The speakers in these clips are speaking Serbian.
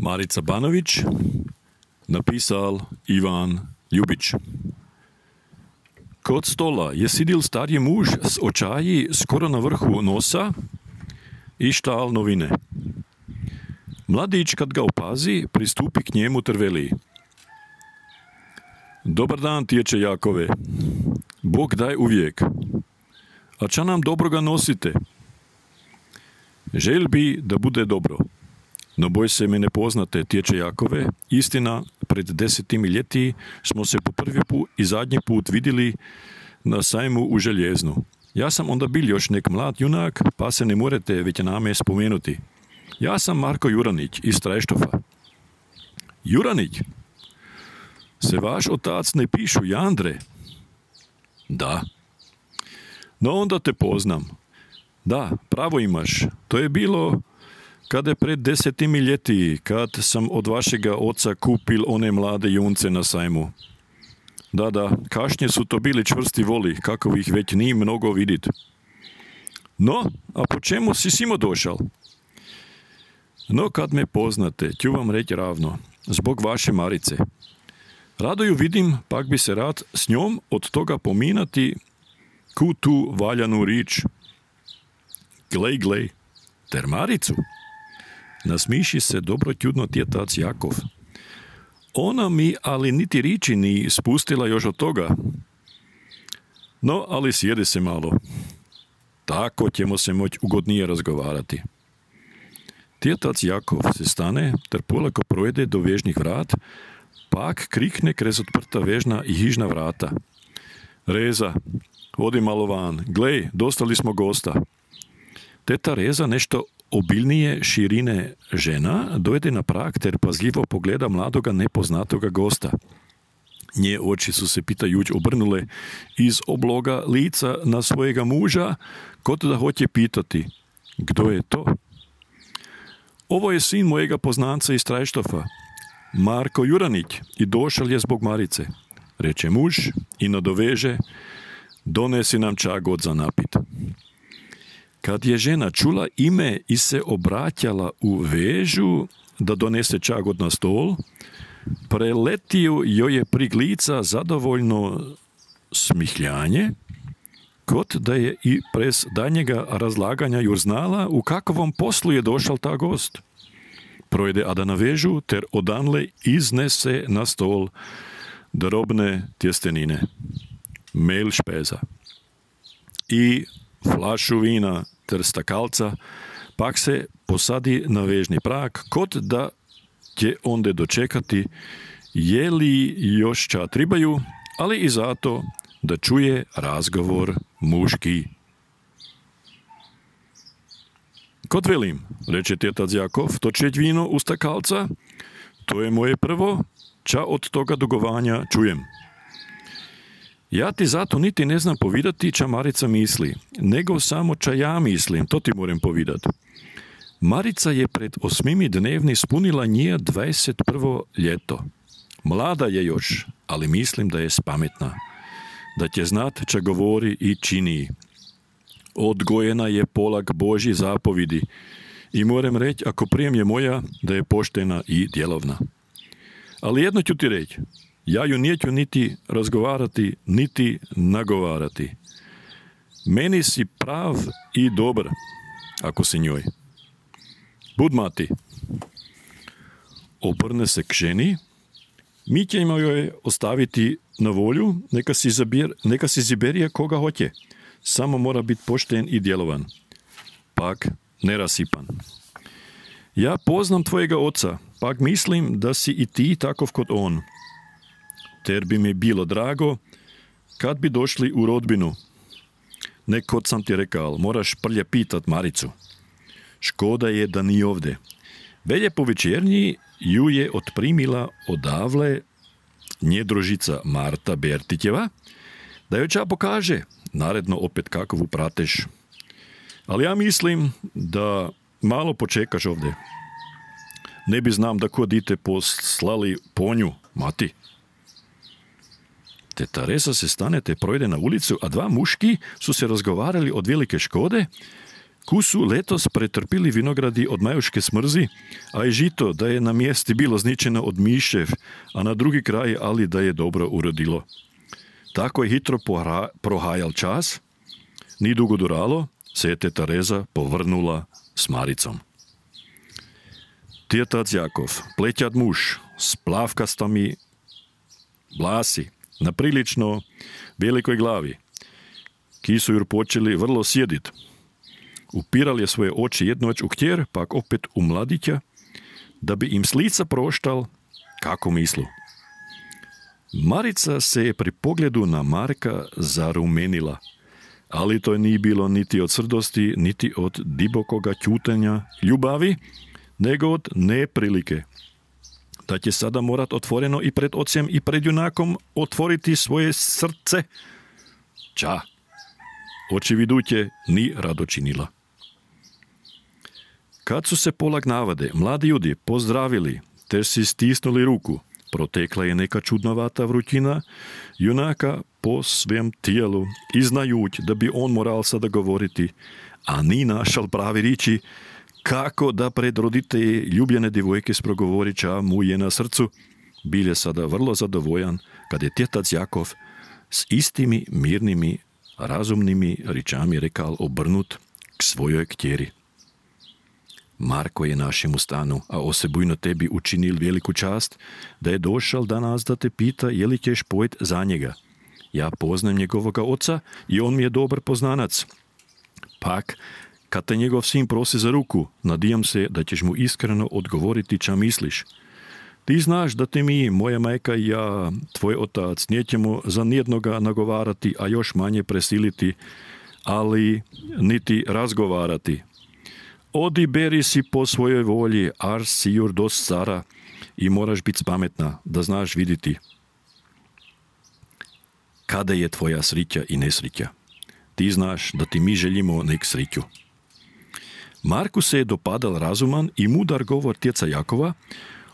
Marica Banović, napisal Ivan Ljubić. Kod stola je sidil starji muž s očaji skoro na vrhu nosa i štal novine. Mladić, kad ga opazi, pristupi k njemu ter veli: Dobar dan, tječe Jakove. Bog daj uvijek. A ča nam dobroga nosite? Želj bi da bude dobro. No boj se me ne poznate, tječe Jakove. Istina, pred 10 ljeti smo se po prvi put i zadnji put vidjeli na sajmu u Željeznu. Ja sam onda bil još nek mlad junak, pa se ne morete već name spomenuti. Ja sam Marko Juranić iz Trajštofa. Juranić? Se vaš otac ne pišu Jandre? Da. No onda te poznam. Da, pravo imaš. To je bilo kada je pred 10 ljeti, kad sam od vašega oca kupil one mlade junce na sajmu. Da, kašnje su to bili čvrsti voli, kako ih već nije mnogo vidit. No, a po čemu si simo došal? No, kad me poznate, ću vam reći ravno, zbog vaše Marice. Rado ju vidim, pak bi se rad s njom od toga pominati ku tu valjanu rič. Glej, ter Maricu. Nasmiši se dobro čudno tjetac Jakov. Ona mi ali niti riči ni spustila još od toga. No, ali sjedi se malo. Tako ćemo se moći ugodnije razgovarati. Tjetac Jakov se stane, ter polako projede do vežnih vrat, pak krikne krez odprta vežna i hižna vrata. Reza, odi malo van, glej, dostali smo gosta. Teta Reza, nešto obilnije širine žena, dojde na prag ter pazljivo pogleda mladoga nepoznatoga gosta. Nje oči su se pitajuć obrnule iz obloga lica na svojega muža, kot da hoće pitati: Kdo je to? Ovo je sin mojega poznanca iz Trajštofa, Marko Juranić, i došel je zbog Marice, reče muž i nadoveže: Donesi nam ča god za napit. Kad je žena čula ime i se obraćala u vežu da donese ča god na stol, preletio joj je prig lica zadovoljno smihljanje, kot da je i prez danjega razlaganja jur znala u kakvom poslu je došal ta gost. Projde ada na vežu ter odanle iznese na stol drobne tjestenine, mel špeza i flašu vina ter stakalca, pak se posadi na vežni prag, kot da će onde dočekati je li još ča tribaju, ali i zato da čuje razgovor muški. Kot velim, reče tjetac Jakov, točeć vino u stakalca, to je moje prvo, ča od toga dugovanja čujem. Ja ti zato niti ne znam povidati ča Marica misli, nego samo ča ja mislim, to ti moram povidati. Marica je pred 8 dnevni spunila nje 21. ljeto. Mlada je još, ali mislim da je spametna, da će znat ča govori i čini. Odgojena je polak Božji zapovidi i moram reći, ako prijem je moja, da je poštena i djelovna. Ali jedno ću ti reći, ja ju neću niti razgovarati, niti nagovarati. Meni si prav i dobar, ako si njoj. Budma ti. Obrne se k ženi, mi ćemo joj ostaviti na volju, neka si ziberije koga hoće. Samo mora biti pošten i djelovan. Pak nerasipan. Ja poznam tvojega oca, pak mislim da si i ti takov kot on. Ter bi mi bilo drago kad bi došli u rodbinu. Nekod sam ti rekao, moraš prlje pitat Maricu. Škoda je da ni ovdje. Velje po večernji ju je otprimila odavle nje družica Marta Bertitjeva, da joj ča pokaže, naredno opet kakovu prateš. Ali ja mislim da malo počekaš ovdje. Ne bi znam da ko dite poslali ponju, mati. Teta Reza se stane te projde na ulicu, a dva muški su se razgovarali od velike škode, ku su letos pretrpili vinogradi od majuške smrzi, a i žito da je na mjesti bilo zničeno od mišev, a na drugi kraj ali da je dobro urodilo. Tako je hitro prohajal čas, ni dugo duralo, se je teta Reza povrnula s Maricom. Tjetac Jakov, pleťat muž, s plavkastami vlasi, na prilično velikoj glavi, ki su ju počeli vrlo sjedit. Upiral je svoje oči jednoć u ktjer, pak opet u mladića, da bi im s lica proštal kako mislu. Marica se je pri pogledu na Marka zarumenila, ali to nije bilo niti od srdosti, niti od dibokoga ćutenja ljubavi, nego od neprilike. Da će sada morat otvoreno i pred ocem i pred junakom otvoriti svoje srce. Ča, očividuće ni rado činila. Kad su se polag navade mladi ljudi pozdravili te si stisnuli ruku, protekla je neka čudnovata vrućina junaka po svem tijelu i znajuć da bi on moral sada govoriti, a ni našal pravi riči kako da pred roditelji ljubljene divojke sprogovori ča mu je na srcu, bil je sada vrlo zadovoljan kad je tjetac Jakov s istimi mirnimi, razumnimi ričami rekal obrnut k svojoj ktjeri. Marko je našemu stanu, a osebujno tebi učinil veliku čast, da je došal danas da te pita je li ćeš pojet za njega. Ja poznam njegovoga oca i on mi je dobar poznanac. Pak, kad te njegov sin prosi za ruku, nadijam se da ćeš mu iskreno odgovoriti ča misliš. Ti znaš da te mi, moja majka i ja, tvoj otac, nećemo za nijednoga nagovarati, a još manje presiliti, ali niti razgovarati. Odi beri si po svojoj volji, ar si jur dost stara i moraš biti pametna, da znaš vidjeti kada je tvoja srića i nesrića. Ti znaš da ti mi želimo nek sriću. Marku se je dopadal razuman i mudar govor tjeca Jakova,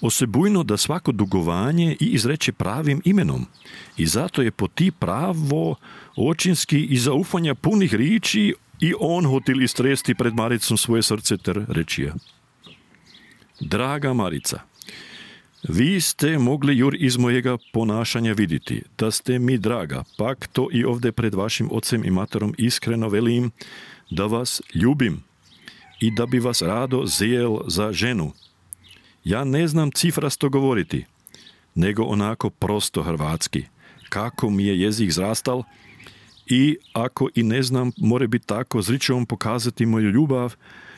osebujno da svako dugovanje i izreče pravim imenom. I zato je po ti pravo očinski i zaufanja punih riči i on hotil istresti pred Maricom svoje srce ter rečija. Draga Marica, vi ste mogli jur iz mojega ponašanja vidjeti, da ste mi draga, pak to i ovdje pred vašim ocem i materom iskreno velim, da vas ljubim i da bi vas rado zijel za ženu. Ja ne znam cifrasto govoriti, nego onako prosto hrvatski, kako mi je jezik zrastal, i ako i ne znam, more biti tako s ričom pokazati moju ljubav,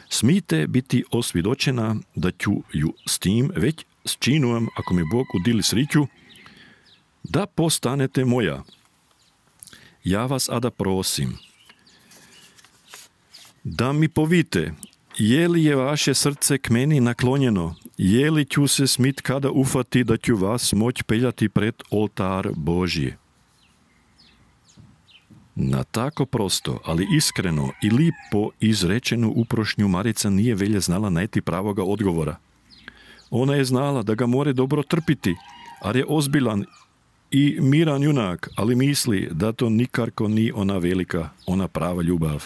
smijte biti osvjedočena da ću ju s tim već s činujem, ako mi Bog udili sriću, da postanete moja. Ja vas ada prosim, da mi povite, je li je vaše srce k meni naklonjeno, je li ću se smit kada ufati da ću vas moć peljati pred oltar Božji. Na tako prosto, ali iskreno i lipo izrečenu uprošnju Marica nije velje znala najti pravoga odgovora. Ona je znala da ga more dobro trpiti, ar je ozbilan i miran junak, ali misli da to nikarko ni ona velika, ona prava ljubav.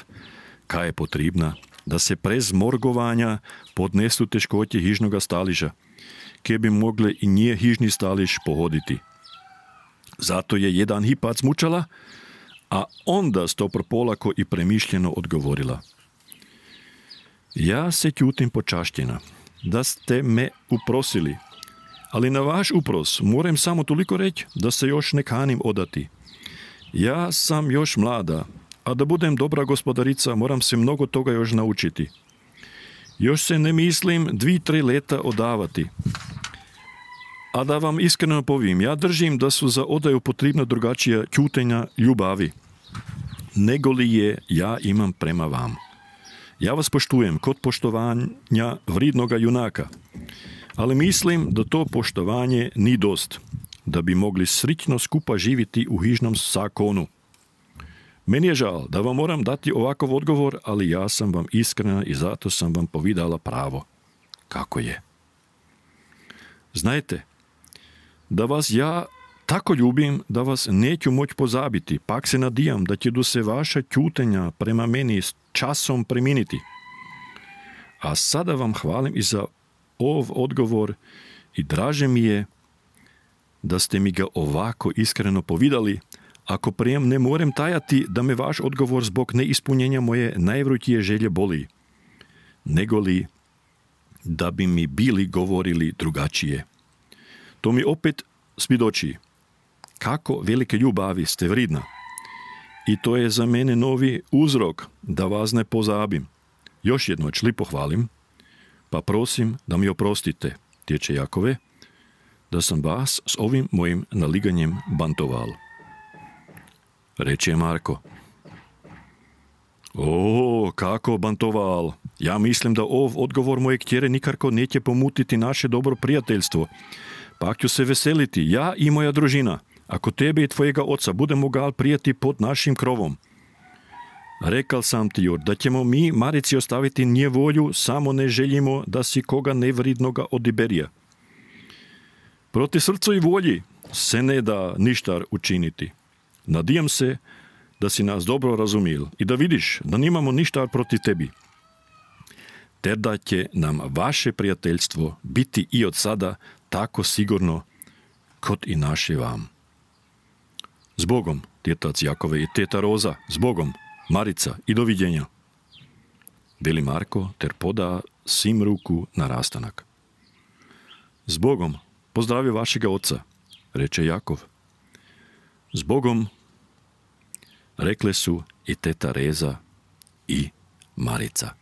Kaj je potrebna? Da se prez morgovanja podnesu teškoće hižnoga staliža, kje bi mogle i nje hižni staliž pohoditi. Zato je jedan hipac mučala, a onda stopro polako i premišljeno odgovorila. Ja se ćutim počašćena, da ste me uprosili, ali na vaš upros moram samo toliko reći da se još ne kanim odati. Ja sam još mlada, a da budem dobra gospodarica moram se mnogo toga još naučiti. Još se ne mislim 2-3 leta odavati. A da vam iskreno povim, ja držim da su za odaju potrebna drugačija ćutenja ljubavi, nego li je ja imam prema vam. Ja vas poštujem kod poštovanja vridnoga junaka, ali mislim da to poštovanje ni dost, da bi mogli srićno skupa živjeti u hižnom zakonu. Meni je žal da vam moram dati ovakav odgovor, ali ja sam vam iskrena i zato sam vam povidala pravo. Kako je? Znajte, da vas ja tako ljubim da vas neću moć pozabiti, pak se nadijam da će do se vaša ćutenja prema meni časom preminiti. A sada vam hvalim i za odgovor i draže mi je da ste mi ga ovako iskreno povidali, ako prijem ne morem tajati da me vaš odgovor zbog neispunjenja moje najvrutije želje boli, nego li da bi mi bili govorili drugačije. To mi opet svjedoči kako velike ljubavi ste vridna. I to je za mene novi uzrok da vas ne pozabim. Još jednoć lipo hvalim, pa prosim da mi oprostite, tječe Jakove, da sam vas s ovim mojim naliganjem bantoval. Reče Marko. O, kako bantoval. Ja mislim da odgovor moje kćere nikako neće pomutiti naše dobro prijateljstvo. Pa ću se veseliti, ja i moja družina, ako tebe i tvojega oca budemo gal prijeti pod našim krovom. Rekal sam ti, Jur, da ćemo mi Marici ostaviti nje volju, samo ne želimo da si koga nevridnoga odiberija. Proti srcu i volji se ne da ništa učiniti. Nadijam se da si nas dobro razumil i da vidiš da nimamo ništa proti tebi. Te da će nam vaše prijateljstvo biti i od sada tako sigurno kot i naše vam. Zbogom, tjetac Jakove i teta Roza, zbogom, Marica i doviđenja. Veli Marko ter poda svim ruku na rastanak. Zbogom, pozdravi vašega oca, reče Jakov. Zbogom, rekle su i teta Reza i Marica.